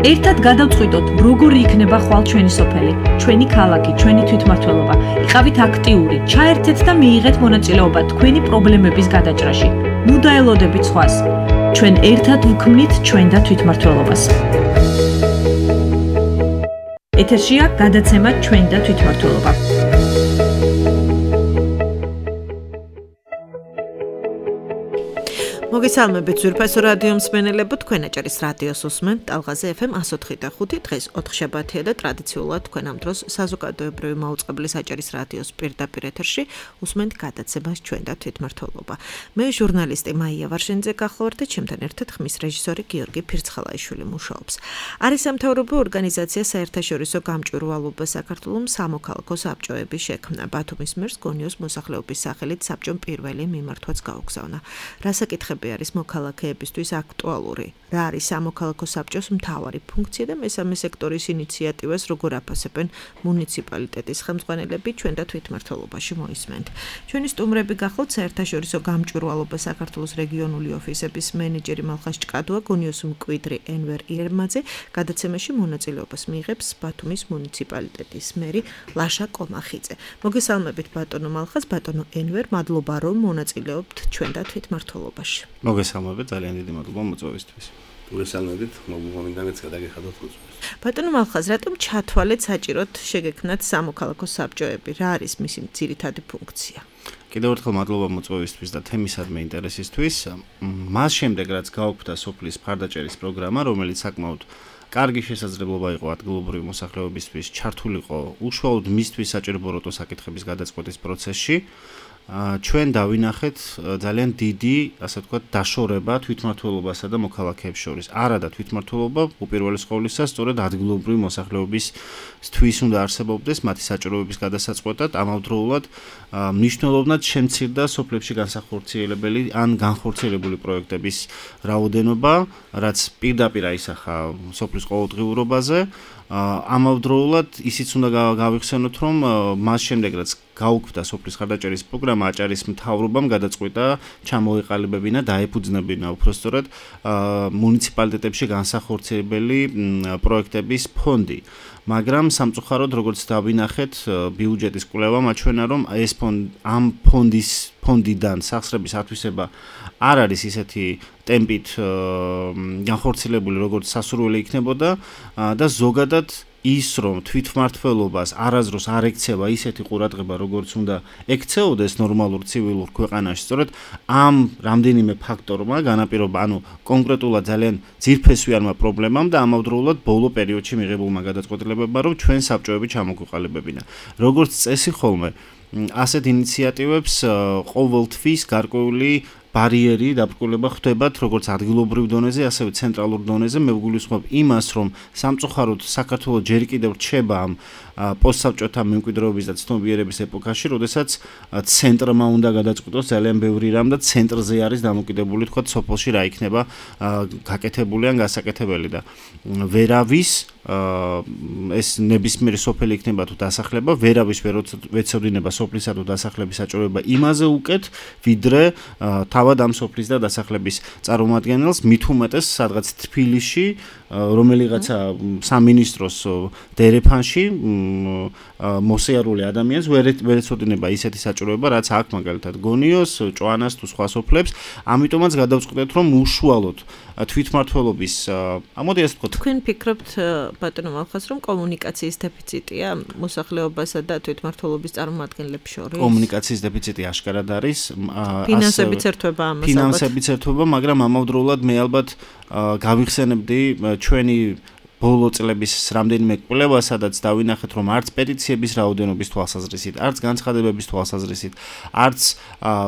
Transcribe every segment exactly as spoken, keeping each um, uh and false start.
ერთად გადავწყვიტოთ, როგორი იქნება ხვალ ჩვენი სოფელი, ჩვენი ქალაქი, ჩვენი თვითმმართველობა. იყავით აქტიური, ჩაერთეთ და მიიღეთ მონაწილეობა თქვენი პრობლემების გადაჭრაში. ნუ დაელოდებით სხვას. ჩვენ ერთად ვქმნით ჩვენ და თვითმმართველობას. ეთერშია გადაცემა ჩვენ და თვითმმართველობა. მოგესალმებით ძვირფასო რადიო მსმენელებო, თქვენ აჭარის რადიოს უსმენთ ტალღაზე ეფ ემ εκατს ოთხი და ხუთი. დღეს ოთხშაბათია და ტრადიციულად თქვენ ამ დროს საზოგადოებრივი მაუწყებლის აჭარის რადიოს პირდაპირ ეთერში უსმენთ გადაცემას ჩვენ და თვითმმართველობა. მე ჟურნალისტი მაია ვარშენიძე გახლავართ და ჩემთან ერთად ხმის რეჟისორი გიორგი ფირცხალაიშვილი მუშაობს. არის სამთავრობო ორგანიზაცია საერთაშორისო გამჭვირვალობა საქართველოს სამოქალაქო საბჭოების შექმნა. ბათუმის მერს გონიოს მოსახლეობის სახელით საბჭომ პირველი მიმართვაც გაუგზავნა. რასაკითხები არის მოქალაქეებისთვის აქტუალური, რა არის სამოქალაქო საბჭოს მთავარი ფუნქცია და მესამე სექტორის ინიციატივას როგორ აფასებენ მუნიციპალიტეტის ხელმძღვანელები ჩვენ და თვითმმართველობაში მოისმენთ. ჩვენი სტუმრები გახლავთ საერთაშორისო გამჭვირვალობა საქართველოს რეგიონული ოფისების მენეჯერი მალხაზ ჭკადოა, გონიოს მკვიდრი ენვერ ირმაძე, გადაცემაში მონაწილეობას მიიღებს ბათუმის მუნიციპალიტეტის მერი ლაშა კომახიძე. მოგესალმებით ბატონო მალხაზ, ბატონო ენვერ, მადლობა რომ მონაწილეობთ ჩვენ და თვითმმართველობაში. მოგესალმებით, ძალიან დიდი მადლობა მოწვევისთვის. მოგესალმებით, მოგვიგონდანაც გადაგიხადოთ მოწვევას. ბატონო მალხაზ, რატომ ჩათვალეთ საჭიროდ შეგექმნათ სამოქალაქო საბჭოები? რა არის მისი ძირითადი ფუნქცია? კიდევ ერთხელ მადლობა მოწვევისთვის და თემისადმი ინტერესისთვის. მას შემდეგ, რაც გაუქმდა სოფლის მხარდაჭერის პროგრამა, რომელიც საკმაოდ კარგი შესაძლებლობა იყო ადგილობრივი მოსახლეობისთვის ჩართულიყო უშუალოდ მისთვის საჭიროებო საკითხების გადაწყვეტის პროცესში, ჩვენ დავინახეთ ძალიან დიდი, ასე ვთქვათ, დაშორება თვითმმართველობასა და მოქალაქეებს შორის. არა და თვითმმართველობა უპირველეს ყოვლისა სწორედ ადგილობრივი მოსახლეობისთვის უნდა არსებობდეს მათი საჭიროებების გადასაწყვეტად, ამავდროულად მნიშვნელოვნად შემცირდა სოფლებში განსახორციელებელი ან განხორციელებული პროექტების რაოდენობა, რაც პირდაპირ აისახა სოფლის ყოველდღიურობაზე. ამავდროულად ისიც უნდა გავიხსენოთ, რომ მას შემდეგ რაც გაუქმდა სოფლის მხარდაჭერის პროგრამა, აჭარის მთავრობამ გადაწყვიტა ჩამოეყალიბებინა და დაეფუძნებინა უпростоრად მუნიციპალიტეტებში განსახორციელებელი პროექტების ფონდი. მაგრამ სამწუხაროდ, როგორც დავინახეთ, ბიუჯეტის კვლევა მაჩვენა, რომ ეს ფონდი ამ ფონდის ფონდიდან სახსრების ათვისება არ არის ისეთი ტემპით განხორციელებული, როგორც სასურველი იქნებოდა და ზოგადად ის რომ თვითმმართველობას არაზროს არ ექცევა ისეთი ყურადღება, როგორც უნდა ექცეოდეს ნორმალურ ცივილურ ქვეყანაში, სწორედ ამ რამდენიმე ფაქტორმა განაპირობა, ანუ კონკრეტულად ძალიან ძირფესვიანმა პრობლემამ და ამავდროულად ბოლო პერიოდში მიღებულმა გადაწყვეტილებებმა, რომ ჩვენ საბჭოები ჩამოგვიყალიბებინა. როგორც წესი ხოლმე, ასეთ ინიციატივებს ყოველთვის გარკვეული ბარიერი დაბრკოლება ხდებათ როგორც ადგილობრივ დონეზე, ასევე ცენტრალურ დონეზე. მე ვგულისხმობ იმას, რომ სამწუხაროდ საქართველოს ჯერ კიდევ რჩება ამ პოსტსაბჭოთა მემკვიდრეობის და ცნობიერების ეპოქაში, როდესაც ცენტრმა უნდა გადაწყვიტოს ძალიან ბევრი რამ და ცენტრზე არის დამოკიდებული, თქვა სოფელში რა იქნება გაკეთებული ან გასაკეთებელი და ვერავის ეს ნებისმიერი სოფელი იქნება თუ დასახლება, ვერავის ვერ ეცოდინება სოფლისა თუ დასახლების საჭიროება იმაზე უკეთ, ვიდრე თავად ამ სოფლის და დასახლების წარმომადგენელს, მით უმეტეს სადღაც თბილისში, რომელიღაცა სამინისტროს დერეფანში მოსიარული ადამიანს ვერ ეცოდინება ისეთი საჭიროება, რაც აქ მაგალითად გონიოს, ჭვანას თუ სხვა სოფლებს. ამიტომაც გადავწყვეტეთ, რომ უშუალოდ თვითმმართველობის, ამოდი ასე ვთქვათ, თქვენ ფიქრობთ ბატონო მალხაზ, რომ კომუნიკაციის დეფიციტია მოსახლეობასა და თვითმმართველობის წარმომადგენლებს შორის? კომუნიკაციის დეფიციტი აშკარად არის. ფინანსებიც ერთვება ამას ალბათ. ფინანსებიც ერთვება, მაგრამ ამავდროულად მე ალბათ გავიხსენებდი ჩვენი ბოლო წლების რამდენიმე კვლევა, სადაც დავინახეთ, რომ არც პეტიციების რაოდენობის თვალსაზრისით, არც განცხადებების თვალსაზრისით, არც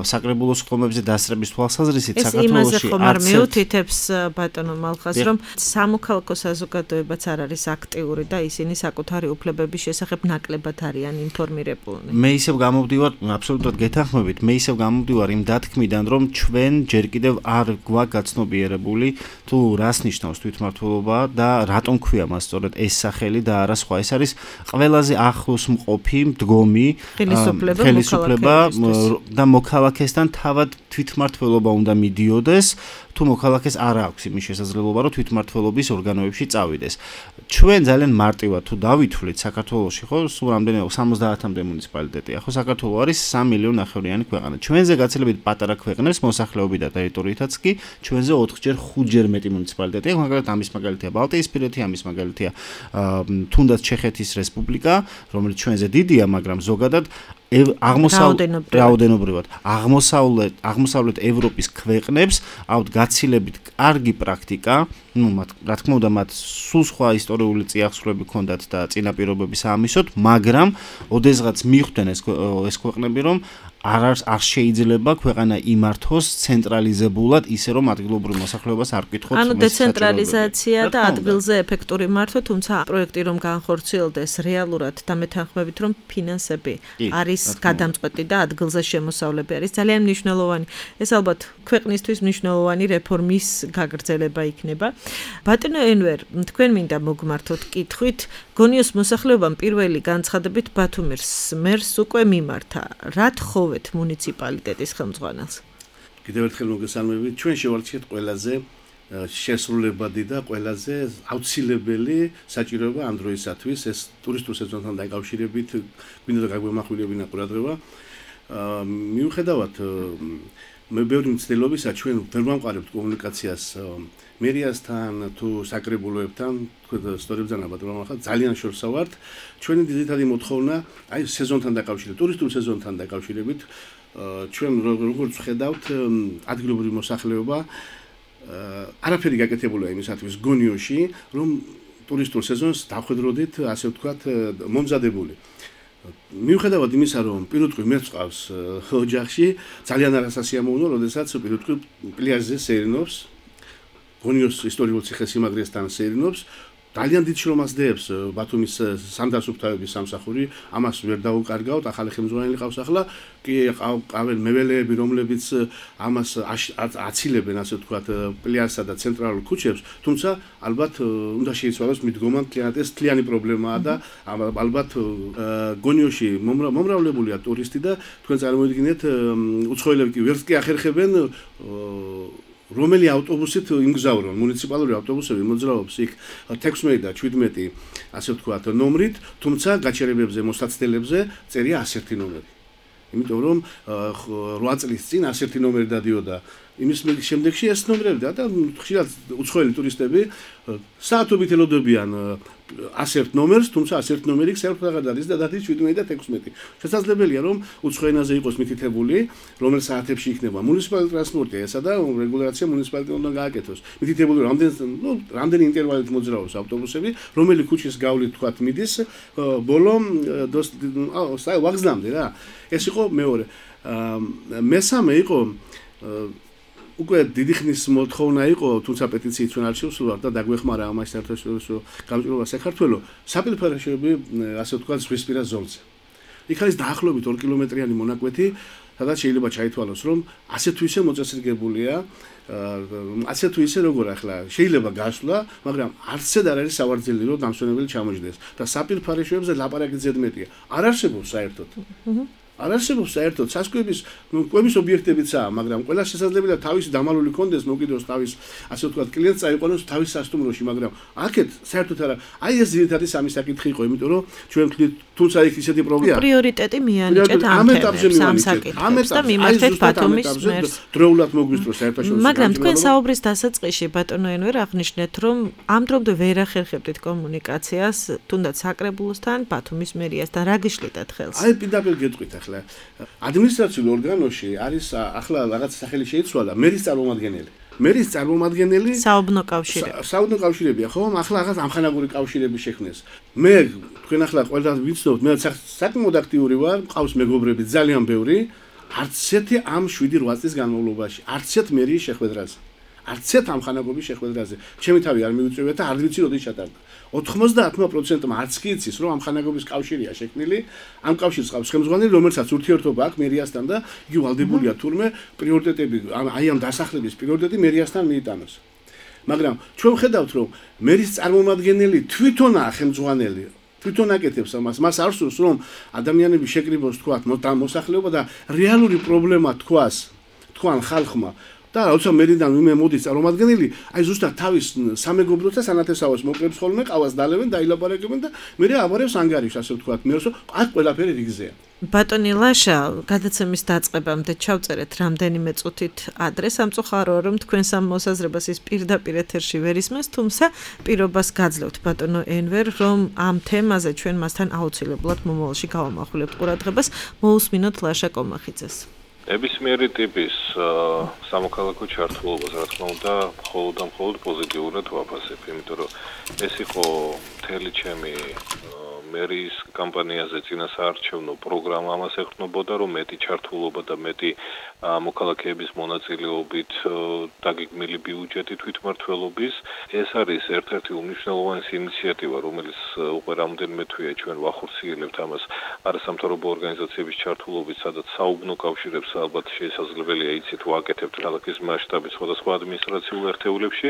საკრებულო სხდომებზე დასწრების თვალსაზრისით საქართველოში ეს იმაზე ხომ არ მიუთითებს ბატონო მალხაზ, რომ სამოქალაქო საზოგადოებაც არ არის აქტიური და ისინი საკუთარი უფლებების შესახებ ნაკლებად არიან ინფორმირებულნი. მე ისევ გამოვდივარ, აბსოლუტურად გეთანხმებით, მე ისევ გამოვდივარ იმ დათქმიდან, რომ ჩვენ ჯერ კიდევ არ გვაქვს გაცნობიერებული თუ რას ნიშნავს თვითმმართველობა და რატომ ჰქვია მას სწორედ ეს სახელი და არა სხვა. ეს არის ყველაზე ახლოს მყოფი მდგომი ხელისუფლება და მოქალაქესთან თავად თვითმმართველობა უნდა მიდიოდეს. თუ მოქალაქეს არ აქვს იმის შესაძლებლობა, რომ თვითმმართველობის ორგანოებში წავიდეს. ჩვენ ძალიან მარტივად თუ დავითვლით საქართველოში, ხო, სულ რამდენი სამოცდაათამდე მუნიციპალიტეტია, ხო, საქართველო არის სამი მილიონი ნახევრიანი ქვეყანა. ჩვენზე გაცილებით პატარა ქვეყნებს მოსახლეობით და ტერიტორიითაც კი ჩვენზე ოთხჯერ ხუთჯერ მეტი მუნიციპალიტეტია, მაგალითად ამის მაგალითია ბალტიისპირეთი, ამის მაგალითია თუნდაც ჩეხეთის რესპუბლიკა, რომელიც ჩვენზე დიდია, მაგრამ ზოგადად აღმოსავლეთ რაოდენობრივად აღმოსავლეთ აღმოსავლეთ ევროპის ქვეყნებს აქვთ გაცილებით კარგი პრაქტიკა, ну, რა თქმა უნდა, მათ სულ სხვა ისტორიული წიაღისეულები ჰქონდათ და წინაპირობები საამისოდ, მაგრამ ოდესღაც მიხვდნენ ეს ეს ქვეყნები, რომ არ არ შეიძლება ქვეყანა იმართოს ცენტრალიზებულად, ისე რომ ადგილობრივ მოსახლეობას არ კითხოთ. ანუ დეცენტრალიზაცია და ადგილზე ეფექტური მართვა, თუმცა პროექტი რომ განხორციელდეს რეალურად დამეთანხმებით, რომ ფინანსები არის გადამწყვეტი და ადგილზე შემოსავლები არის ძალიან მნიშვნელოვანი. ეს ალბათ ქვეყნისთვის მნიშვნელოვანი რეფორმის გაგრძელება იქნება. ბატონო ენვერ, თქვენ მინდა მოგმართოთ კითხვით, გონიოს მოსახლეობამ პირველი განცხადებით ბათუმის მერს უკვე მიმართა. რა თხოვეთ მუნიციპალიტეტის ხელმძღვანელს? კიდევ ერთხელ მოგესალმებით. ჩვენ შევარჩიეთ ყველაზე შესრულებადი და ყველაზე აუცილებელი საჭიროება ამ დროისათვის. ეს ტურისტულ სეზონთან დაკავშირებით გვინდა და გაგვემახვილებინა ყურადღება. მიუხედავად მე ბევრი მცდელობისა ჩვენ ვერ ვამყარებთ კომუნიკაციას მერიასთან თუ საკრებულოებთან, თქვენ სწორედ ბრძანებად რომ ახლა ძალიან შორსა ვართ. ჩვენი ძირითადი მოთხოვნა აი სეზონთან დაკავშირებით, ტურისტულ სეზონთან დაკავშირებით, ჩვენ როგორც ვხედავთ ადგილობრივი მოსახლეობა არაფერი გაკეთებულია იმისათვის გონიოში, რომ ტურისტულ სეზონს დავხვედროდით, ასე ვთქვათ, მომზადებული. მიუხედავად იმისა, რომ პირუტყვი მეც ყავს ოჯახში, ძალიან არასასიამოვნოა, როდესაც პირუტყვი პლიაჟზე სეირნობს, გონიოს ისტორიულ ციხესიმაგრესთან სეირნობს, ძალიან დიდ შრომას დებს ბათუმის სანდარსუფთავების სამსახური, ამას ვერ დაუკარგავთ, ახალი ხელმძღვანელი ყავს ახლა, კი ყავენ მეველეები, რომლებიც ამას აცილებენ, ასე ვთქვათ, პლიაჟსა და ცენტრალურ ქუჩებს, თუმცა ალბათ უნდა შეიცვალოს მიდგომა, ეს თლიანი პრობლემაა და ალბათ გონიოში მომრავლებულია ტურისტი და თქვენ წარმოიდგინეთ, უცხოელები კი ვერც კი ახერხებენ რომელი ავტობუსით იმგზავრონ, მუნიციპალური ავტობუსები მოძრაობს იქ თექვსმეტი და შვიდმეტი, ასე ვთქვათ, ნომრით, თუმცა გაჩერებებზე, მოსაცდელებზე წერია ასეთი ნომერი. იმიტომ რომ რვა წლის წინ ასეთი ნომერი დადიოდა. იმის შემდეგში ეს ნომრები და ხშირად უცხოელი ტურისტები საათობით ელოდებიან ასერთ ნომერს, თუმცა ასერთ ნომერი საერთოდ აღარ დადის და დადის შვიდმეტი და თექვსმეტი. შესაძლებელია რომ უცხო ენაზე იყოს მითითებული, რომელ საათებში იქნება მუნიციპალური ტრანსპორტი, ესა და რეგულაცია მუნიციპალიტეტი უნდა გააკეთოს. მითითებული რამდენი, ну, რამდენი ინტერვალით მოძრაობს ავტობუსები, რომელი ქუჩის გავლით თქვათ მიდის, ბოლო ვაგზლამდე რა. ეს იყო მეორე. მესამე იყო უკვე დიდი ხნის მოთხოვნა იყო, თუმცა პეტიციით ჩვენ არ შევსვლათ და დაგვეხმარა ამას საერთაშორისო გამჭირვება საქართველოს საპირისპიროები, ასე ვთქვათ, ზღვისპირა ზოლზე. იქ არის დაახლოებით ორი კილომეტრიანი მონაკვეთი, სადაც შეიძლება ჩაითვალოს, რომ ასე თუ ისე მოწესრიგებულია, ასე თუ ისე როგორ ახლა შეიძლება გასვლა, მაგრამ არცედ არ არის სავარძელი, რომ დამსვენებელი ჩამოჯდეს და საპირისპიროებზე ლაპარაკი ზედმეტია. არ არსებობს საერთოდ. არ არსებობს საერთოდ სასკვების, ну, კვების ობიექტებიცაა, მაგრამ ყველა შესაძლებელია თავისი დამალული კონდეს, მოკიდოს თავის, ასე ვთქვათ, კლიენტს წაიყვანოს თავის სასტუმროში, მაგრამ აქეთ საერთოდ არა. აი ეს ძირითადი სამი საკითხი იყო, იმიტომ რომ ჩვენ ვთქვით, თუმცა იქ ისეთი პრობლემაა. პრიორიტეტი მიანიჭეთ ამ თემებს, ამ საკითხებს და მიმართეთ ბათუმის მერს. დროულად მოგვისწრო საერთაშორისო. მაგრამ თქვენ საუბრის დასაწყისში ბატონო ენვერ აღნიშნეთ, რომ ამ დრომდე ვერ ახერხებდით კომუნიკაციას, თუნდაც საკრებულოსთან, ბათუმის მერიასთან, რა გიშლიდათ ხელს? აი პირდაპირ გეტყვით ახლა. ადმინისტრაციულ ორგანოში არის ახლა რაღაც სახელი შეიცვალა მერის წარმომადგენელი. მერის წარმომადგენელი საუბნო კავშირები. საუბნო კავშირებია, ხო? ახლა რაღაც ამხანაგური კავშირები შექმნეს. მე თქვენ ახლა ყველას ვიცნობთ, მე საკმაოდ აქტიური ვარ, მყავს მეგობრები ძალიან ბევრი, არც ერთი ამ შვიდი რვა წლის განმავლობაში, არც ერთ მერიის შეხვედრაზე. არც ერთ ამხანაგობის შეხვედრაზე. ჩემი თავი არ მივიწევია და არ ვიცი როდის ჩატარდა. ოთხმოცდაათი პროცენტმა არც კი იცის, რომ ამხანაგობის კავშირია შექმნილი, ამ კავშირს ყავს ხელმძღვანელი, რომელსაც ურთიერთობა აქვს მერიასთან და იგი ვალდებულია თურმე პრიორიტეტები, აი ამ დასახლების პრიორიტეტი მერიასთან მიიტანოს. მაგრამ ჩვენ ვხედავთ რომ მერის წარმომადგენელი თვითონაა ხელმძღვანელი თვითონ აკეთებს ამას მას არ სურს რომ ადამიანები შეკრიბოს თქვათ მოსახლეობა და რეალური პრობლემა თქვას თქვან ხალხმა და როცა მერიდან ვინმე მოდის წარმომადგენელი აი ზუსტად თავის სამეგობროთა სანათესავოს მოკლებს ხოლმე ყავას დალევენ და ილაპარაკებენ და მე აბარებს ანგარიშს ასე ვთქვათ მე რომ აქ ყველაფერი რიგზეა ბატონი ლაშა, გადაცემის დაწყებამდე ჩავწერეთ რამდენიმე წუთით ადრეს, სამწუხაროა რომ თქვენს ამ მოსაზრებას ის პირდაპირ ეთერში ვერ ისმენს, თუმცა პირობას გაძლევთ ბატონო ენვერ, რომ ამ თემაზე ჩვენ მასთან აუცილებლად მომავალში გავამახვილებთ ყურადღებას, მოусმინოთ ლაშა კომახიძეს. ნებისმიერი ტიპის სამოქალაქო ჩართულობას, რა თქმა უნდა, მხოლოდ და მხოლოდ პოზიტიურად ვაფასებ, იმიტომ რომ ეს იყო მთელი ჩემი მერის კამპანიაზე წინასაარჩევნო პროგრამა ამას ეხმობოდა, რომ მეტი ჩართულობა და მეტი მოქალაქეების მონაწილეობით დაგეგმილი ბიუჯეტი თვითმმართველობის. ეს არის ერთ-ერთი უმნიშვნელოვანესი ინიციატივა, რომელიც უკვე რამდენიმე თვეა ჩვენ ვახორციელებთ ამას არასამთავრობო ორგანიზაციების ჩართულობით, სადაც საუბნო კავშირებს ალბათ შესაძლებელია იცით ვაკეთებთ ქალაქის მასშტაბით სხვადასხვა ადმინისტრაციულ ერთეულებში.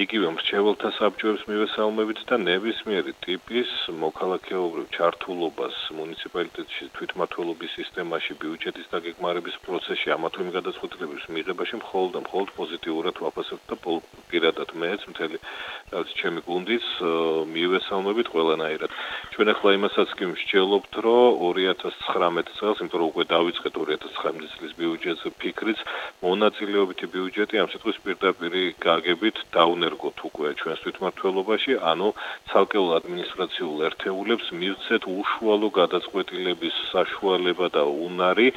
იგივე მრჩეველთა საბჭოებს მივესალმებით და ნებისმიერი ტიპის მოქალაქეობრივ ჩართულობას მუნიციპალიტეტში თვითმმართველობის სისტემაში ბიუჯეტის დაგეგმარების პროცესში ამათო იმ გადაწყვეტილების მიღებაში მხოლოდ და მხოლოდ პოზიტიურად ვაფასებთ და პირადად მეც მთელი ჩემი გუნდიც მივესალმებით ყველანაირად. ჩვენ ახლა იმასაც კი ვსჯელობთ, რომ ორი ათას ცხრამეტ წელს, იმიტომ რომ უკვე დავიწყეთ ორი ათას ცხრამეტ წლის ბიუჯეტზე ფიქრიც, მონაწილეობითი ბიუჯეტი ამ სიტყვის პირდაპირ გაგებით დაუნერგოთ უკვე ჩვენს თვითმმართველობაში, ანუ ცალკეულ ადმინისტრაციულ ერთეულებს მივცეთ უშუალო გადაწყვეტილების საშუალება და უნარი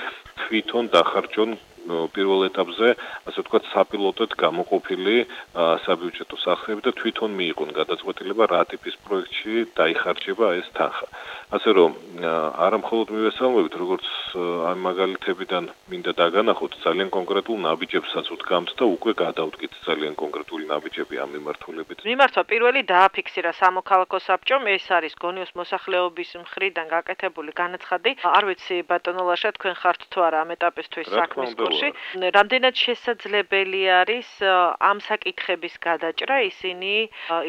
თვითონ დახარჯონ პირველ ეტაპზე, ასე ვთქვათ, საპილოტოდ გამოყოფილი საბიუჯეტო სახეები და თვითონ მიიღონ გადაწყვეტილება რა ტიპის პროექტში დაიხარჯება ეს თანხა. ასე რომ არა მხოლოდ მივესალმებით, როგორც ამ მაგალითებიდან მინდა დაგანახოთ, ძალიან კონკრეტულ ნაბიჯებსაც ვდგამთ და უკვე გადავდგით ძალიან კონკრეტული ნაბიჯები ამ მიმართულებით. მიმართვა პირველი დააფიქსირა სამოქალაქო საბჭომ, ეს არის გონიოს მოსახლეობის მხრიდან გაკეთებული განაცხადი. არ ვიცი ბატონო ლაშა, თქვენ ხართ თუ არა ამ ეტაპისთვის საქმის კურსში. რამდენად შესაძლებელი არის ამ საკითხების გადაჭრა, ისინი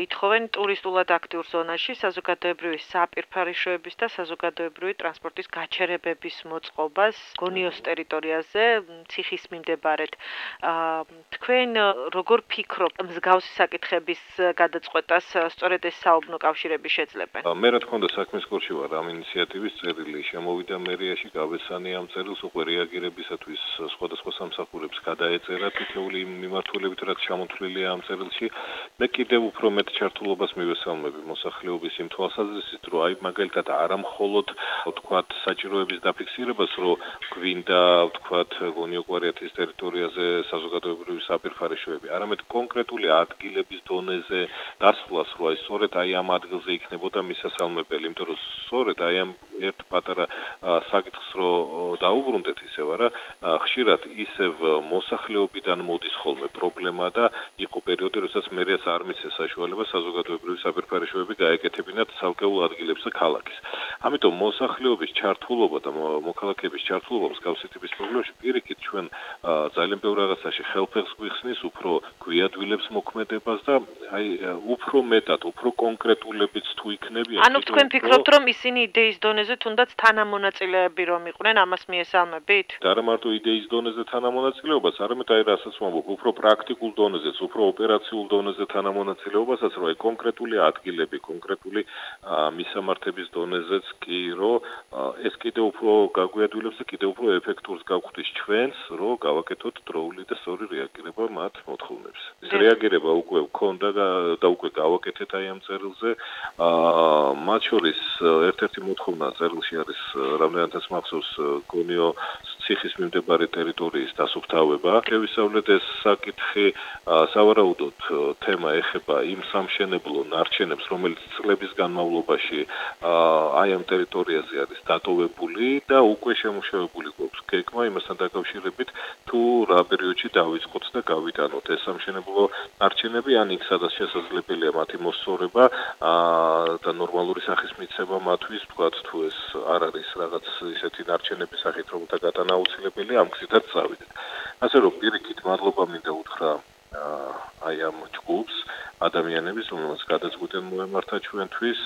ითხოვენ ტურისტულად აქტიურ ზონაში საზოგადოებრივი საპირფარეშოების და საზოგადოებრივი ტრანსპორტის გაჩერებების მოწყობას გონიოს ტერიტორიაზე ციხის მიმდებარედ. თქვენ როგორ ფიქრობთ მსგავსი საკითხების გადაწყვეტას სწორედ ეს საუბნო კავშირები შეძლებენ? მე რა თქმა უნდა საქმის კურსში ვარ ამ ინიციატივის წერილი, შემოვიდა მერიაში, გავესანი ამ წერილს უკვე რეაგირებისათვის სხვადასხვა სამსახურებს გადაეწერა თითოეული მიმართულებით, რაც ჩამოთვლილია ამ წერილში. მე კიდევ უფრო მეტ ჩართულობას მივესალმები მოსახლეობის იმ თვალსაზრისით, რომ აი მაგალითად არა მხოლოდ ვთქვათ საჭიროების დაფიქსირებას, რომ გვინდა ვთქვათ გონიო-კვარიათის ტერიტორიაზე საზოგადოებრივი საპირფარეშოები, არამედ კონკრეტული ადგილების დონეზე დასვლას, რომ აი სწორედ აი ამ ადგილზე იქნებოდა მისასალმებელი, იმიტომ რომ სწორედ აი ამ ერთ პატარა საკითხს რო დაუბრუნდეთ ისევ არა, ხშირად ისევ მოსახლეობიდან მოდის ხოლმე პრობლემა და იყო პერიოდი, როდესაც მერიას არ მისცეს საშუალება საზოგადოებრივი საპირფარეშოები გაეკეთებინათ ცალკეულ ადგილებს და ქალაქის. ამიტომ მოსახლეობის ჩართულობა და მოქალაქეების ჩართულობა მსგავსი ტიპის პრობლემებში პირიქით ჩვენ ძალიან ბევრ რაღაცაში ხელფეხს გვიხსნის, უფრო გვიადვილებს მოქმედებას და აი უფრო მეტად, უფრო კონკრეტულებიც თუ იქნებიან. ანუ თქვენ ფიქრობთ, რომ ისინი იდეის დონეზე თუნდაც თანამონაწილეები რომ იყვნენ, ამას მიესალმებით? და არა მარტო იდეის დონეზე თანამონაწილეობას, არამედ აი რასაც ვამბობ, უფრო პრაქტიკულ დონეზეც, უფრო ოპერაციულ დონეზე თანამონაწილეობასაც, რომ აი კონკრეტული ადგილები, კონკრეტული მისამართების დონეზეც კი, რომ ეს კიდევ უფრო გაგვიადვილებს და კიდევ უფრო ეფექტურს გავხდის ჩვენს, რომ გავაკეთოთ დროული და სწორი რეაგირება მათ მოთხოვნებს. ეს რეაგირება უკვე ვქონდა და უკვე გავაკეთეთ აი ამ წერილზე. მათ შორის ერთ-ერთი მოთხოვნა წერილში არის რამდენადაც მახსოვს გონიო ციხის მიმდებარე ტერიტორიის დასუფთავება. შევისწავლეთ ეს საკითხი, სავარაუდოდ თემა ეხება იმ სამშენებლო ნარჩენებს, რომელიც წლების განმავლობაში აი ამ ტერიტორიაზე არის დატოვებული და უკვე შემუშავებული გვაქვს გეგმა იმასთან დაკავშირებით, თუ რა პერიოდში დავიწყოთ და გავიტანოთ ეს სამშენებლო ნარჩენები, ან იქ სადაც შესაძლებელია მათი მოსწორება და ნორმალური სახის მიცემა მათთვის, თქვათ თუ ეს არ არის რაღაც ისეთი ნარჩენების სახით, რომელთა გატანა აუცილებელია, ამ გზითაც წავიდეთ. ასე რომ პირიქით მადლობა მინდა უთხრა აი ამ ჯგუფს ადამიანების, რომელსაც გადაწყვეტენ მოემართა ჩვენთვის,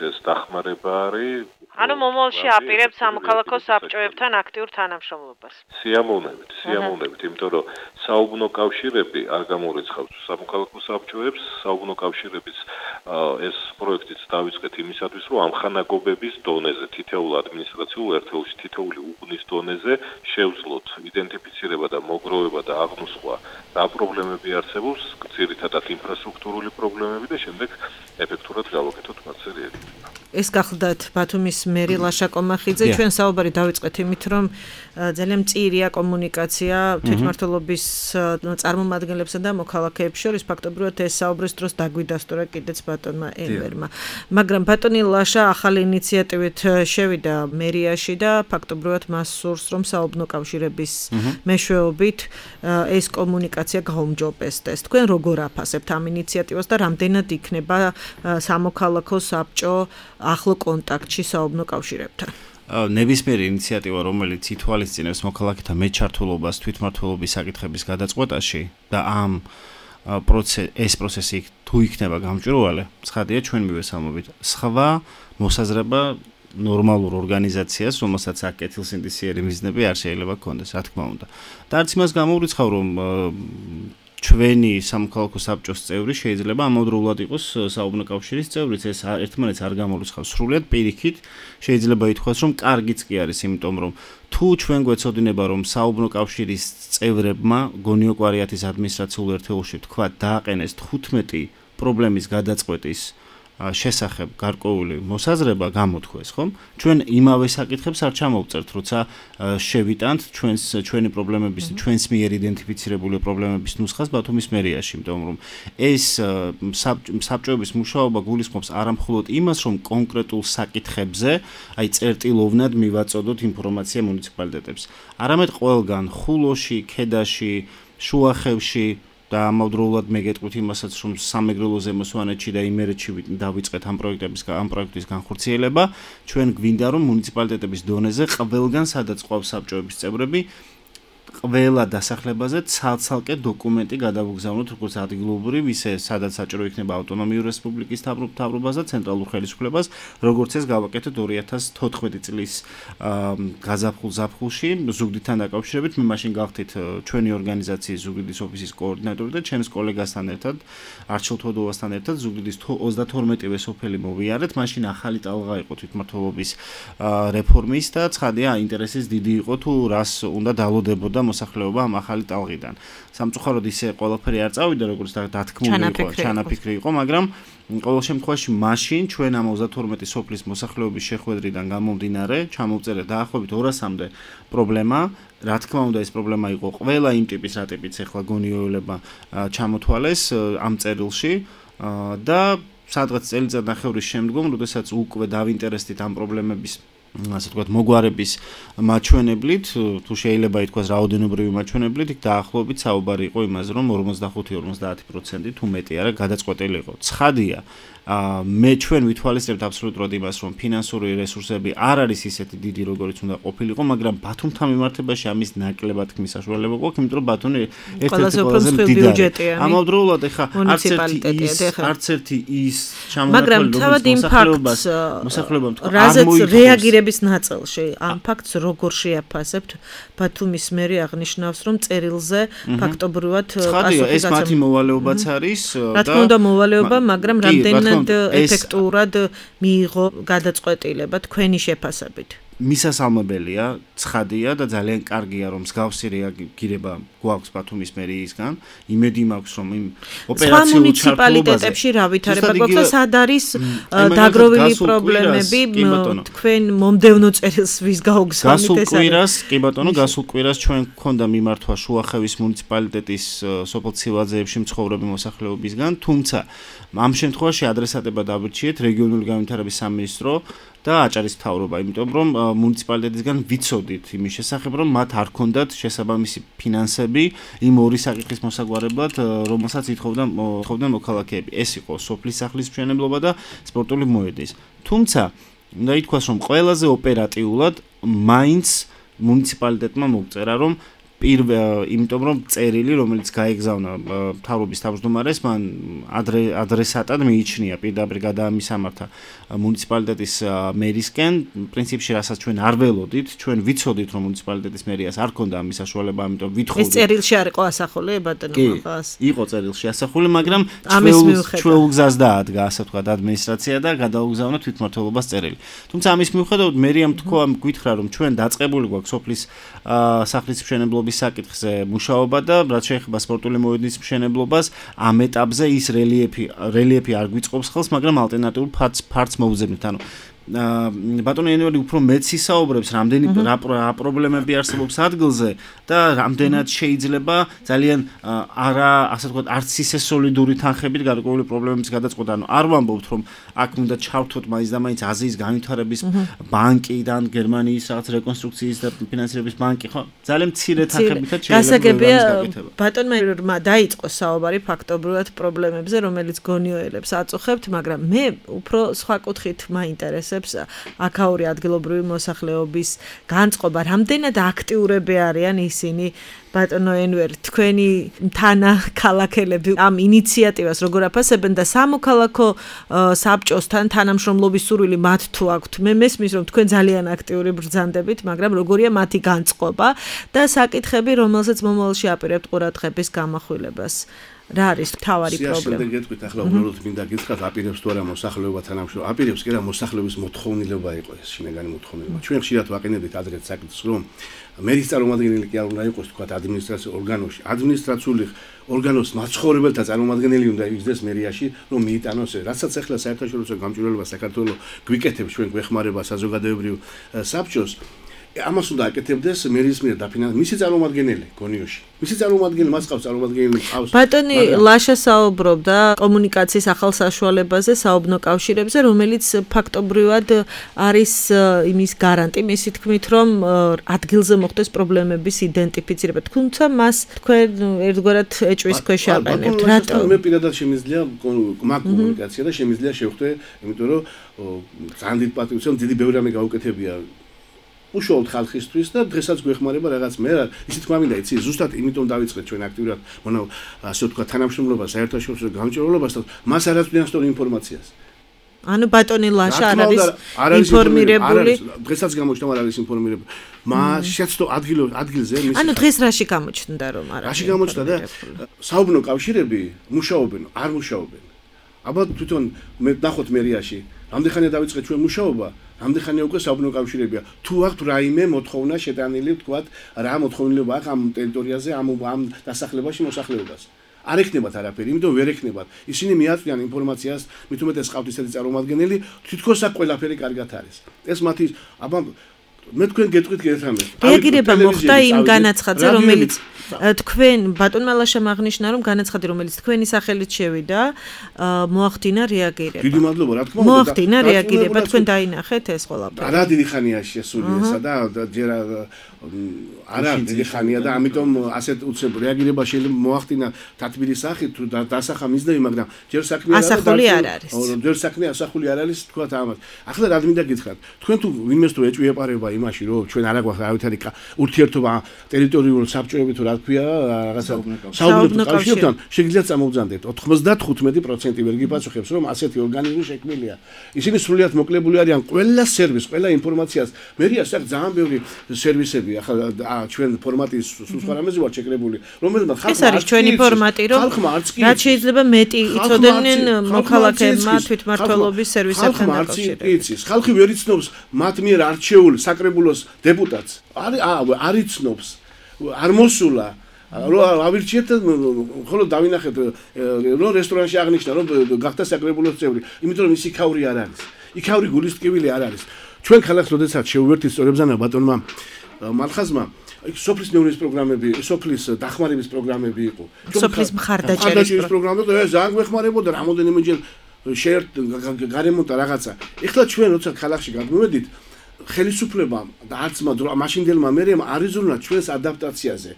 ეს დახმარება არის. ანუ მომავალში აპირებთ სამოქალაქო საბჭოებთან აქტიურ თანამშრომლობას. სიამოვნებით, სიამოვნებით, იმიტომ რომ საუბნო კავშირები არ გამორიცხავს სამოქალაქო საბჭოებს, საუბნო კავშირების ეს პროექტიც დავიწყეთ იმისათვის, რომ ამხანაგობების დონეზე, თითოეულ ადმინისტრაციულ ერთეულში, თითოეული უბნის დონეზე შევძლოთ იდენტიფიცირება და მოგროვება და აღნუსხვა რა პრობლემები არსებობს, ძირითადად ინფრასტრუქტურული პრობლემები და შემდეგ ეფექტურად გავაკეთოთ მასზე რეაგირება. ეს გახლდათ ბათუმის მერი ლაშა კომახიძე, ჩვენ საუბარი დავიწყეთ იმით, რომ ძალიან მწირია კომუნიკაცია თვითმმართველობის წარმომადგენლებსა და მოქალაქეებს შორის, ფაქტობრივად ეს საუბრის დროს დაგვიდასტურა კიდეც ბატონმა ელვერმა. მაგრამ ბატონი ლაშა ახალი ინიციატივით შევიდა მერიაში და ფაქტობრივად მას სურს, რომ საუბნო კავშირების მეშვეობით ეს კომუნიკაცია გაუმჯობესდეს. თქვენ როგორ აფასებთ ამ ინიციატივას და რამდენად იქნება სამოქალაქო საბჭო ახლო კონტაქტში საუბნო კავშირებთან? ნებისმიერი ინიციატივა, რომელიც ითვალისწინებს მოქალაქეთა მეჩართულობას თვითმმართველობის საკითხების გადაწყვეტაში და ამ ეს პროცესი თუ იქნება გამჭვირვალე, ცხადია ჩვენ მივესალმებით. სხვა მოსაზრება ნორმალურ ორგანიზაციას, რომელსაც აქ კეთილსინდისიერი მიზნები არ შეიძლება გქონდეს, რა თქმა უნდა. და არც იმას გამოურიცხავ, რომ ჩვენი სამოქალაქო საბჭოს წევრი შეიძლება ამავდროულად იყოს საუბნო კავშირის წევრიც, ეს ერთმანეთს არ გამორიცხავს სრულად, პირიქით შეიძლება ითქვას, რომ კარგიც კი არის, იმიტომ რომ თუ ჩვენ გვეცოდინება, რომ საუბნო კავშირის წევრებმა გონიოკვარიათის ადმინისტრაციულ ერთეულში თქვა დააყენეს თხუთმეტი პრობლემის გადაწყვეტის შესახებ გარკვეული მოსაზრება გამოთქვეს, ხომ? ჩვენ იმავე საკითხებს არ ჩამოვწერთ, როცა შევიტანთ ჩვენს ჩვენი პრობლემების, ჩვენს მიერ იდენტიფიცირებული პრობლემების ნუსხას ბათუმის მერიაში, იმიტომ რომ ეს საბჭოების მუშაობა გულისხმობს არამხოლოდ იმას, რომ კონკრეტულ საკითხებზე, აი წერტილოვნად მივაწოდოთ ინფორმაცია მუნიციპალიტეტებს, არამედ ყველგან ხულოში, ქედაში, შუახევში და ამავდროულად მეგეთყვით იმასაც, რომ სამეგრელოზე მოსვანეთში და იმერეთში დავიწყეთ ამ პროექტების ამ პროექტის განხორციელება, ჩვენ გვინდა რომ მუნიციპალიტეტების დონეზე ყველგან სადაც ყავს საბჭოების წევრები, ყველა დასახლებაზე ცალ-ცალკე დოკუმენტი გადავგზავნოთ როგორც ადგილობრივი, ისე სადაც საჭირო იქნება ავტონომიური რესპუბლიკის მთავრობას და ცენტრალურ ხელისუფლებას, როგორც ეს გავაკეთეთ ორი ათას თოთხმეტი წლის გაზაფხულ-ზაფხულში ზუგდიდთან დაკავშირებით. მე მაშინ გავხდით ჩვენი ორგანიზაციის ზუგდიდის ოფისის კოორდინატორი და ჩემს კოლეგასთან ერთად, არჩილ თოდოვასთან ერთად ზუგდიდის ოცდათორმეტივე სოფელი მოვიარეთ. მაშინ ახალი ტალღა იყო თვითმმართველობის რეფორმის და ცხადია ინტერესის დიდი იყო თუ რას უნდა დალოდებოდა მოსახლეობა ამ ახალი ტალღიდან. სამწუხაროდ ისე ყველაფერი არ წავიდა, როგორც დათქმული იყო, ჩანაფიქრი იყო, მაგრამ ყოველ შემთხვევაში მაშინ ჩვენ ამ ოცდათორმეტი სოფლის მოსახლეობის შეხვედრიდან გამომდინარე, ჩამოვწერეთ დაახლოებით ორასამდე პრობლემა. რა თქმა უნდა, ეს პრობლემა იყო ყველა იმ ტიპის, რა ტიპიც ახლა გონიოვლება ჩამოთვალეს ამ წერილში და სადღაც წელიწადნახევრის შემდგომ, როდესაც უკვე დავინტერესდით ამ პრობლემების ასე ვთქვათ, მოგვარების მაჩვენებლით, თუ შეიძლება ითქვას რაოდენობრივი მაჩვენებლით, იქ დაახლოებით საუბარი იყო იმაზე, რომ ორმოცდახუთი ორმოცდაათი პროცენტი თუ მეტი არა გადაწყვეტილი იყო. ცხადია, მე ჩვენ ვითვალისწინებთ აბსოლუტურად იმას, რომ ფინანსური რესურსები არ არის ისეთი დიდი, როგორიც უნდა ყოფილიყო, მაგრამ ბათუმთან მიმართებაში ამის ნაკლებად თქმის საშუალება გვაქვს, იმიტომ რომ ბათუმი ერთ-ერთი ყველაზე მდიდარი. ამავდროულად ეხა არც ერთი ის, არც ერთი ის ჩამონათვალი, რომელიც მოსახლეობამ თქვა, არ მოიწონს ნაწილში ამ ფაქტს როგორ შეაფასებთ? ბათუმის მერი აღნიშნავს, რომ წერილზე ფაქტობრივად ცხადია, ეს მათი მოვალეობაც არის და რა თქმა უნდა მოვალეობა, მაგრამ რამდენად ეფექტურად მიიღო გადაწყვეტილება თქვენი შეფასებით? მისასალმებელია, ცხადია და ძალიან კარგია, რომ მსგავსი რეაგირება გვაქვს ბათუმის მერიისგან. იმედი მაქვს, რომ იმ ოპერაციულ მუნიციპალიტეტებში რა ვითარება გვაქვს და სად არის დაგროვილი პრობლემები თქვენ მომდევნო წერილს ვის გაუგზავნით ეს? გასულ კვირას, კი ბატონო, გასულ კვირას ჩვენ გქონდა მიმართვა შუახევის მუნიციპალიტეტის სოფელ ცივაძეებში მცხოვრები მოსახლეობისგან, თუმცა ამ შემთხვევაში ადრესატება დავრჩიეთ რეგიონული განვითარების სამინისტრო და აჭარის მთავრობა, იმიტომ რომ მუნიციპალიტეტისგან ვიცოდით იმის შესახებ, რომ მათ არ ქონდათ შესაბამისი ფინანსები იმ ორი საკითხის მოსაგვარებლად, რომელსაც ითხოვდნენ მოქალაქეები. ეს იყო სოფლის სახლის მშენებლობა და სპორტული მოედნის. თუმცა, უნდა ითქვას, რომ ყველაზე ოპერატიულად მაინც მუნიციპალიტეტმა მოგწერა, რომ პირველ იმიტომ რომ წერილი რომელიც გაეგზავნა მთავრობის თავმჯდომარეს მან ადრესატად მიიჩნია პირდაპირ გადაამისამართა მუნიციპალიტეტის მერისკენ პრინციპში რასაც ჩვენ არ ველოდით ჩვენ ვიცოდით რომ მუნიციპალიტეტის მერიას არ ქონდა ამის საშუალება ამიტომ ვითხოვდით ეს წერილში არ იყო ასახული ბატონო მაღას იყო წერილში ასახული მაგრამ ჩვეულ გზას დაადგა ასე ვთქვათ ადმინისტრაცია და გადაუგზავნა თვითმმართველობას წერილი თუმცა ამის მიუხედავად მერიამ თქვა გითხრა რომ ჩვენ დაწყებული გვაქვს სოფლის სახლის მშენებლობის საკითხზე მუშაობა და რაც შეეხება სპორტული მოედნის მშენებლობას ამ ეტაპზე ის რელიეფი რელიეფი არ გვიწყობს ხელს მაგრამ ალტერნატიულ ფართს მოუძებნით ანუ ბატონო ენვერი უფრო მეც ისაუბრებს რამდენი რა პრობლემები არსებობს ადგილზე და რამდენად შეიძლება ძალიან არა ასე ვთქვათ არც ისე სოლიდური თანხებით გარკვეული პრობლემების გადაწყვეტა ანუ არ ვამბობთ რომ აქ უნდა ჩავთვოთ მაინც და მაინც აზიის განვითარების ბანკიდან გერმანიის რაღაც რეკონსტრუქციის და ფინანსირების ბანკი ხო ძალიან მცირე თანხებითაც შეიძლება ბატონმა რმა დაიწყო საუბარი ფაქტობრივად პრობლემებზე რომელიც გონიოელებს აწუხებთ მაგრამ მე უფრო სხვა კუთხით მაინტერესებს აქაური ადგილობრივი მოსახლეობის განწყობა რამდენად აქტიურები არიან ისინი ბატონო ენვერ თქვენი თანა ქალაქელები ამ ინიციატივას როგორ აფასებენ და სამოქალაქო საბჭოსთან თანამშრომლობის სურვილი მათ თუ აქვთ მე მესმის რომ თქვენ ძალიან აქტიური ბრძანდებით მაგრამ როგორია მათი განწყობა და საკითხები რომელსაც მომავალში აპირებთ ყურადღების გამახვილებას რა არის თავარი პრობლემა? შემდეგ გეტყვით ახლა უბრალოდ მინდა გითხრათ აპირებს თუ არა მოსახლეობა თანამშრომლობა აპირებს კი რა მოსახლეობის მოთხოვნილება იყო ეს შინაგანი მოთხოვნილება. ჩვენ ხშირად ვაყენებდით ადრეთ საკითხს რომ მერის წარმომადგენელი კი არ უნდა იყოს თქვა ადმინისტრაციულ ორგანოში ადმინისტრაციული ორგანოს მაცხოვრებელთა წარმომადგენელი უნდა იგრძეს მერიაში რომ მიიტანოს რასაც ახლა საერთაშორისო გამჭვირვალობა საქართველოს გვიკეთებს ჩვენ გვეხმარება საზოგადოებრივ საბჭოს ამას უნდა აკეთებდეს მერის მიერ დაფინანსებული მისი წარმომადგენელი გონიოში. მისი წარმომადგენელი მას ყავს წარმომადგენელი ყავს. ბატონი ლაშა საუბრობდა კომუნიკაციის ახალ საშუალებაზე საუბნო კავშირებზე, რომელიც ფაქტობრივად არის იმის გარანტი, მისი თქმით, რომ ადგილზე მოხდეს პრობლემების იდენტიფიცირება. თუმცა მას თქვენ ერთგვარად ეჭვის ქვეშ აყენებთ. რატო? მე პირადად შემიძლია მაგ კომუნიკაცია და შემიძლია შევხვდე, იმიტომ რომ ძალიან დიდ პატრიოტიზმს დიდი ბევრი რამე გაუკეთებია. უშუალოდ ხალხისთვის და დღესაც გვეხმარება რაღაც მე რა ისე თქვა მინდა იცი ზუსტად იმიტომ დავიწყეთ ჩვენ აქტიურად მონა ასე ვთქვა თანამშრომლობა საერთაშორისო გამჭვირვალობასთან მას არ აძლევს სწორ ინფორმაციას ანუ ბატონი ლაშა არ არის ინფორმირებული დღესაც გამოჩნდა არ არის ინფორმირებული მას შეცდო ადგილ ადგილზე ანუ დღეს რაში გამოჩნდა რომ არ არის რაში გამოჩნდა და საუბნო კავშირები მუშაობენ არ მუშაობენ აბა თვითონ მე ნახოთ მერიაში რამდენხანია დავიწყეთ ჩვენ მუშაობა ამდენხანია უკვე საუბნო კავშირებია თუ აქვთ რაიმე მოთხოვნა შეტანილი ვთქვათ რა მოთხოვნილება აქვს ამ ტერიტორიაზე ამ ამ დასახლებაში მოსახლეობას არ ეკნებათ არაფერი იმიტომ ვერ ეკნებათ ისინი მიაწვდიან ინფორმაციას მით უმეტეს ყავთ ისეთი წარმომადგენელი თვითონ საკ ყველაფერი კარგად არის ეს მათი აბა მე თქვენ გეტყვით გეთამეთ რეაგირება მოხდა იმ განაცხადზე რომელიც თქვენ ბატონმა ლაშამ აღნიშნა რომ განაცხადი რომელიც თქვენი სახელით შევიდა მოახდინა რეაგირება დიდი მადლობა რა თქმა უნდა მოახდინა რეაგირება თქვენ დაინახეთ ეს ყველაფერი არა დიდი ხანია შესული ესა და ჯერ არა დიდი ხანია და ამიტომ ასეთ უცებ რეაგირება შეიძლება მოახდინა თათბირის სახით თუ დასახა მიზნები მაგრამ ჯერ საქმე არა ასახული არ არის ჯერ საქმე ასახული არ არის თქვა ამას ახლა რა მინდა გითხრათ თქვენ თუ ვინმეს თუ ეჭვი ეპარება იმაში რომ ჩვენ არა გვაქვს ავითარი ურთიერთობა ტერიტორიული საბჭოებით თუ რა ქვია რაღაცა საუბნო კავშირებთან შეგიძლიათ წამოვძანდეთ ოთხმოცდათხუთმეტი პროცენტი ვერ გიპასუხებს რომ ასეთი ორგანიზმი შექმნილია ისინი სრულიად მოკლებული არიან ყველა სერვისს ყველა ინფორმაციას მერია საკ ძალიან ბევრი სერვისები ახლა ჩვენ ფორმატის სხვა რამეზე ვარ შეკრებული რომელმაც ხალხმა ეს არის ჩვენი ფორმატი რომ რაც შეიძლება მეტი იცოდნენ მოქალაქეებმა თვითმმართველობის სერვისებთან დაკავშირებით ხალხი ვერ იცნობს მათ მიერ არჩეულ საკრებულოს დეპუტატს არ იცნობს არ მოსულა რომ ავირჩიეთ ხოლო დავინახეთ რომ რესტორანში აღნიშნა რომ გახდა საკრებულოს წევრი იმიტომ რომ ის იქაური არ არის იქაური გულის ტკივილი არ არის ჩვენ ქალაქს როდესაც შევვერთით სწორებზანა ბატონმა მალხაზმა სოფლის მეურნეობის პროგრამები, სოფლის დახმარების პროგრამები იყო. სოფლის მხარდაჭერის პროგრამები და ძალიან გვეხმარებოდა რამოდენიმეჯერ შეერთ გარემონტა რაღაცა. ეხლა ჩვენ როცა ქალაქში გადმოვედით ხელისუფლებამ და არც მაშინდელმა მერემ არ იზრუნვა ჩვენს ადაპტაციაზე.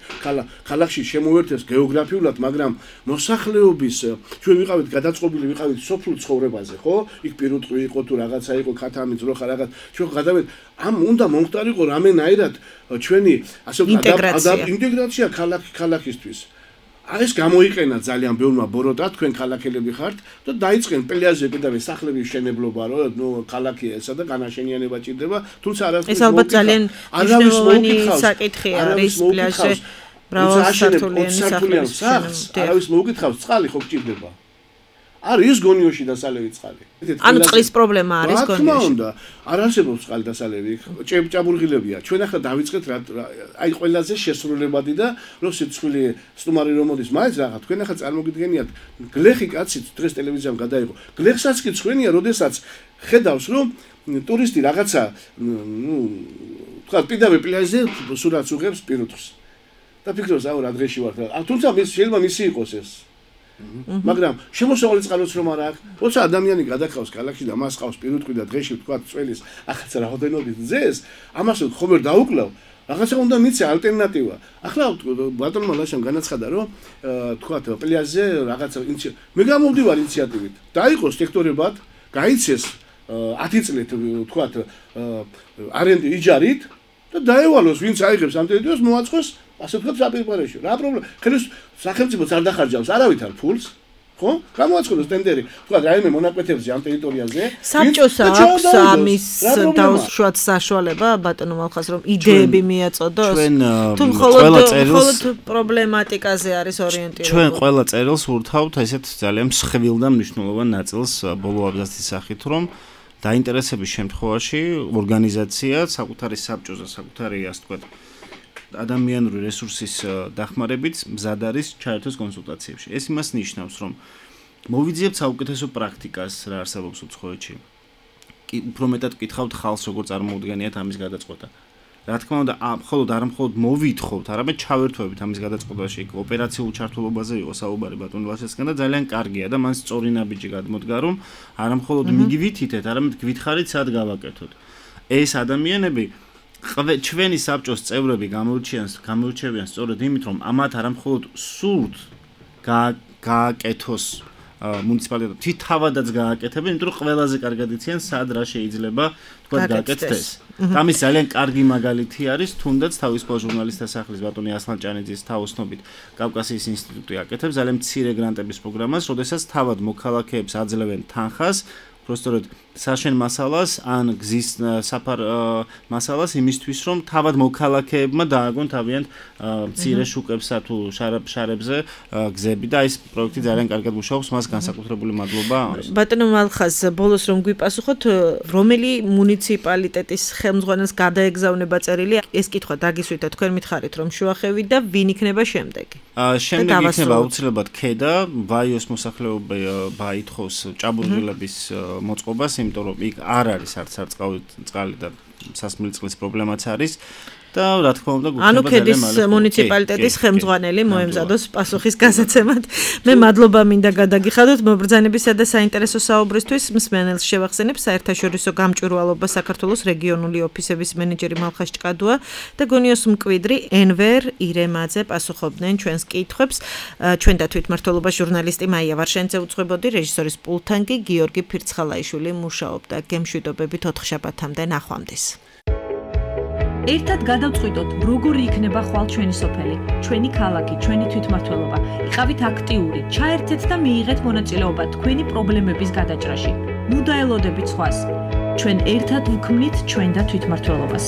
ქალაქში შემოერთეს გეოგრაფიულად, მაგრამ მოსახლეობის ჩვენ ვიყავით გადაწყობილი, ვიყავით სოფლურ ცხოვრებაზე, ხო? იქ პირუტყვი იყო თუ რაღაცა იყო, ქათამი, ძროხა რაღაც. ჩვენ გადავედ ამ უნდა მომხდარიყო რამენაირად ჩვენი ასე ვთქვათ ინტეგრაცია ქალაქ ქალაქისთვის. ეს გამოიყენა ძალიან ბევრმა ბოროტად, თქვენ ქალაქელები ხართ და დაიწყენ პლიაჟზე კიდევ სახლების შენებლობა, რომ ნუ ქალაქი ესა და განაშენიანება ჭირდება, თუმცა არასდროს ეს ალბათ ძალიან მნიშვნელოვანი საკითხი არის პლიაჟზე მრავალსართულიანი სახლების შენებლობა. არავის მოუკითხავს, წყალი ხო გჭირდება? არის გონიოში დასალევი წყალი. ანუ წყლის პრობლემა არის გონიოში. რა თქმა უნდა, არ არსებობს წყალი დასალევი, ჭაბურღილებია. ჩვენ ახლა დავიწყეთ აი ყველაზე შესრულებადი და რო სიცხვილე სტუმარი რომ მოდის, მაინც რაღაც თქვენ ახლა წარმოგიდგენიათ, გლეხი კაციც დღეს ტელევიზიამ გადაიღო. გლეხსაც კი ცხენია, როდესაც ხედავს რომ ტურისტი რაღაცა, ნუ თქვა პირდაპირ პლიაჟზე სურათს უღებს პირუტყვს. და ფიქრობს, აუ რა დღეში ვარ. თუმცა მის შეიძლება მისი იყოს ეს. მაგრამ შემოსავალი წყალიც რომ არ აქვს, როცა ადამიანი გადაკავს ქალაქში და მას ყავს პირუტყვი და დღეში თქვა წველის ახაც რაოდენობით ძეს, ამას ხომ ვერ დაუკლავ, რაღაცა უნდა მიცე ალტერნატივა. ახლა ბატონმა ლაშამ განაცხადა, რომ თქვა პლიაჟზე რაღაცა მე გამოვდივარ ინიციატივით. დაიყოს სექტორებად, გაიცეს ათი წლით თქვა არენდი იჯარით და დაევალოს ვინც აიღებს ამ ტერიტორიას მოაწყოს ასე ვთქვათ საპირპარეში. რა პრობლემა? ხელის სახელმწიფოც არ დახარჯავს არავით არ ფულს, ხო? გამოაცხადოს ტენდერი. თქვა რაიმე მონაკვეთებზე ამ ტერიტორიაზე. საბჭოს აქვს ამის დაუშვათ საშუალება ბატონო მალხას რომ იდეები მიაწოდოს? ჩვენ თუ მხოლოდ პრობლემატიკაზე არის ორიენტირებული. ჩვენ ყველა წერილს ვურთავთ ესეთ ძალიან მსხვილ და მნიშვნელოვან ნაწილს ბოლო აბზაცის სახით, რომ დაინტერესების შემთხვევაში ორგანიზაცია საკუთარი საბჭოზე, საკუთარი ასე ვთქვათ ადამიანური რესურსის დახმარებით მზად არის ჩაერთოს კონსულტაციებში. ეს იმას ნიშნავს, რომ მოვიძიებთ საუკეთესო პრაქტიკას, რა არსებობს უცხოეთში. უფრო მეტად გკითხავთ ხალხს, როგორ წარმოუდგენიათ ამის გადაწყვეტა. რა თქმა უნდა, მხოლოდ არ მხოლოდ მოვითხოვთ, არამედ ჩავერთვებით ამის გადაწყვეტაში. ოპერაციულ ჩართულობაზე იყო საუბარი ბატონ ლაშესკენ და ძალიან კარგია და მან სწორი ნაბიჯი გადმოდგა, რომ არა მხოლოდ მიგვითითეთ, არამედ გვითხრით, სად გავაკეთოთ. ეს ადამიანები ჩვენი საბჭოს წევრები გამოირჩიან გამოირჩევიან სწორედ იმით, რომ ამათ არ მხოლოდ სურთ გააკეთოს მუნიციპალიტეტი თავადაც გააკეთებენ, იმიტომ რომ ყველაზე კარგად იციან სად რა შეიძლება თქვა გააკეთდეს. ამის ძალიან კარგი მაგალითი არის თუნდაც თავისუფალ ჟურნალისტთა სახლის ბატონი ასლან ჭანიძის თაოსნობით კავკასიის ინსტიტუტი აკეთებს ძალიან მცირე გრანტების პროგრამას, როდესაც თავად მოქალაქეებს აძლევენ თანხას Prostord საშენ მასალას ან გზის საფარ მასალას იმისთვის რომ თავად მოქალაქეებმა დააგონ თავიანთ მცირე შუკებსა თუ შარებზე გზები და ეს პროექტი ძალიან კარგად მუშაობს მას განსაკუთრებული მადლობა. ბატონო მალხას ბოლოს რომ გვიპასუხოთ რომელი მუნიციპალიტეტის ხელმძღვანელს გადაეგზავნება წერილი ეს კითხვა დაგისვითა თქვენ მითხარით რომ შუახევი და ვინ იქნება შემდეგი? შემდეგ იქნება აუცილებლად ქედა ვაიოს მოსახლეობა ბაითხოვს ჭაბურღილების მოწყობას, იმიტომ რომ იქ არ არის არც არც წყალი და სასმელი წყლის პრობლემაც არის და რა თქმა უნდა ანუ ქედის მუნიციპალიტეტის ხელმძღვანელი მოემზადოს პასუხის გასაცემად. მე მადლობა მინდა გადაგიხადოთ მობრძანებისა და საინტერესო საუბრისთვის. მსმენელს შევახსენებ საერთაშორისო გამჭვირვალობა საქართველოს რეგიონული ოფისების მენეჯერი მალხას ჭკადუა და გონიოს მკვიდრი ენვერ ირემაძე პასუხობდნენ ჩვენს კითხვებს. ჩვენ და თვითმმართველობა ჟურნალისტი მაია ვარშენიძე უძღვებოდი, რეჟისორის პულტთან კი გიორგი ფირცხალაიშვილი მუშაობდა. გემშვიდობებით ოთხშაბათამდე ნახვამდის. ერთად გადავწყვიტოთ, როგორი იქნება ხვალ ჩვენი სოფელი, ჩვენი ქალაქი, ჩვენი თვითმმართველობა. იყავით აქტიური, ჩაერთეთ და მიიღეთ მონაწილეობა თქვენი პრობლემების გადაჭრაში. ნუ დაელოდებით სხვას. ჩვენ ერთად ვქმნით ჩვენ და თვითმმართველობას.